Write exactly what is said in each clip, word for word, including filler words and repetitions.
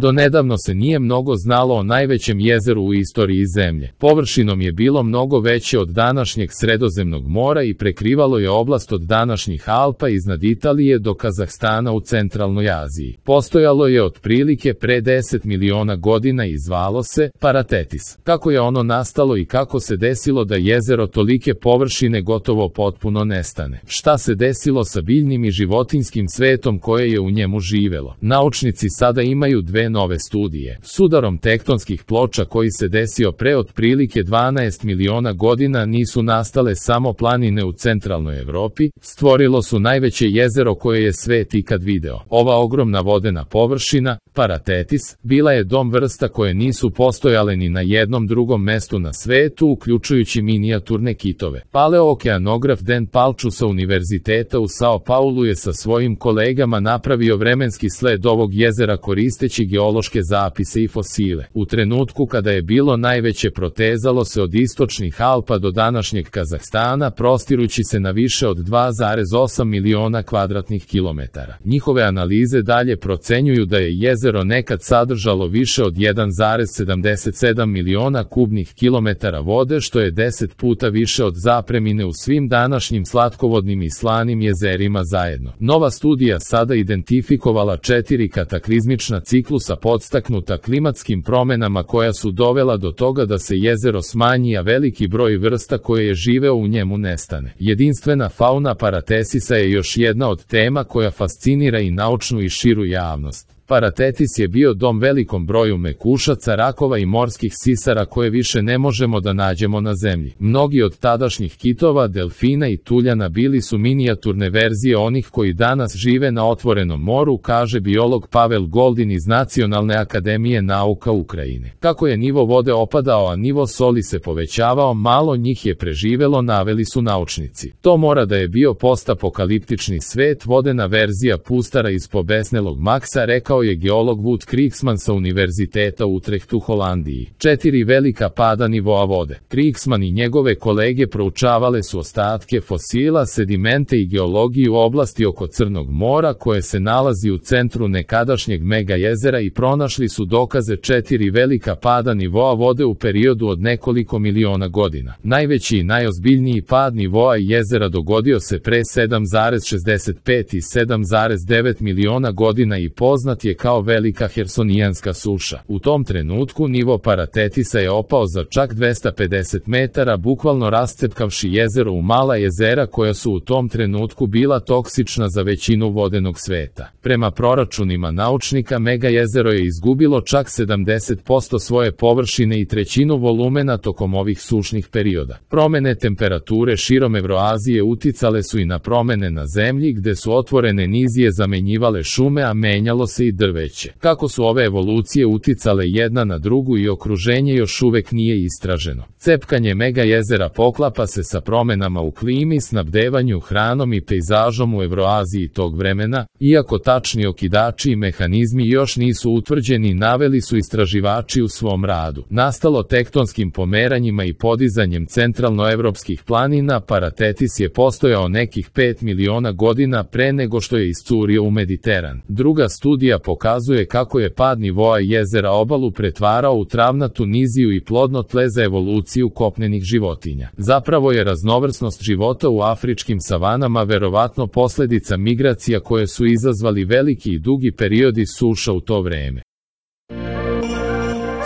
Donedavno se nije mnogo znalo o najvećem jezeru u istoriji zemlje. Površinom je bilo mnogo veće od današnjeg Sredozemnog mora i prekrivalo je oblast od današnjih Alpa iznad Italije do Kazahstana u centralnoj Aziji. Postojalo je otprilike pre deset miliona godina i zvalo se Paratetis. Kako je ono nastalo i kako se desilo da jezero tolike površine gotovo potpuno nestane? Šta se desilo sa biljnim i životinjskim svetom koje je u njemu živelo? Naučnici sada imaju dve nove studije. S udarom tektonskih ploča koji se desio pre otprilike dvanaest miliona godina nisu nastale samo planine u centralnoj Evropi, stvorilo su najveće jezero koje je svet ikad video. Ova ogromna vodena površina, Paratetis, bila je dom vrsta koje nisu postojale ni na jednom drugom mestu na svetu, uključujući minijaturne kitove. Paleookeanograf Dan Palču sa Univerziteta u Sao Paulu je sa svojim kolegama napravio vremenski sled ovog jezera koristeći geološke zapise i fosile. U trenutku kada je bilo najveće protezalo se od istočnih Alpa do današnjeg Kazahstana, prostirući se na više od dva zarez osam miliona kvadratnih kilometara. Njihove analize dalje procenjuju da je jezero nekad sadržalo više od jedan zarez sedamdeset sedam miliona kubnih kilometara vode, što je deset puta više od zapremine u svim današnjim slatkovodnim i slanim jezerima zajedno. Nova studija sada identifikovala četiri kataklizmična ciklusa podstaknuta klimatskim promenama koja su dovela do toga da se jezero smanji, a veliki broj vrsta koje je živeo u njemu nestane. Jedinstvena fauna Paratesisa je još jedna od tema koja fascinira i naučnu i širu javnost. Paratetis je bio dom velikom broju mekušaca, rakova i morskih sisara koje više ne možemo da nađemo na zemlji. Mnogi od tadašnjih kitova, delfina i tuljana bili su minijaturne verzije onih koji danas žive na otvorenom moru, kaže biolog Pavel Goldin iz Nacionalne akademije nauka Ukrajine. Kako je nivo vode opadao, a nivo soli se povećavao, malo njih je preživelo, naveli su naučnici. To mora da je bio postapokaliptični svet, vodena verzija pustara iz pobesnelog Maksa, rekao je geolog Wout Kriksman sa Univerziteta u Utrechtu, Holandiji. Četiri velika pada nivoa vode. Kriksman i njegove kolege proučavale su ostatke fosila, sedimente i geologiju u oblasti oko Crnog mora koje se nalazi u centru nekadašnjeg mega jezera i pronašli su dokaze četiri velika pada nivoa vode u periodu od nekoliko miliona godina. Najveći i najozbiljniji pad nivoa jezera dogodio se pre sedam zarez šezdeset pet i sedam zarez devet miliona godina i poznat je kao velika hersonijanska suša. U tom trenutku nivo Paratetisa je opao za čak dvesta pedeset metara, bukvalno rascepkavši jezero u mala jezera koja su u tom trenutku bila toksična za većinu vodenog sveta. Prema proračunima naučnika, mega jezero je izgubilo čak sedamdeset posto svoje površine i trećinu volumena tokom ovih sušnih perioda. Promene temperature širom Evroazije uticale su i na promene na zemlji, gde su otvorene nizije zamenjivale šume, a menjalo se i drveće. Kako su ove evolucije uticale jedna na drugu i okruženje još uvek nije istraženo. Cepkanje mega jezera poklapa se sa promenama u klimi, snabdevanju hranom i pejzažom u Evroaziji tog vremena, iako tačni okidači i mehanizmi još nisu utvrđeni, naveli su istraživači u svom radu. Nastalo tektonskim pomeranjima i podizanjem centralnoevropskih planina, Paratetis je postojao nekih pet miliona godina pre nego što je iscurio u Mediteran. Druga studija pokazuje kako je pad nivoa jezera obalu pretvarao u travnatu niziju i plodno tle za evoluciju kopnenih životinja. Zapravo je raznovrsnost života u afričkim savanama verovatno posledica migracija koje su izazvali veliki i dugi periodi suša u to vreme.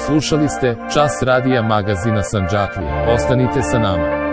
Slušali ste Čas radija magazina Sandžaklija. Ostanite sa nama.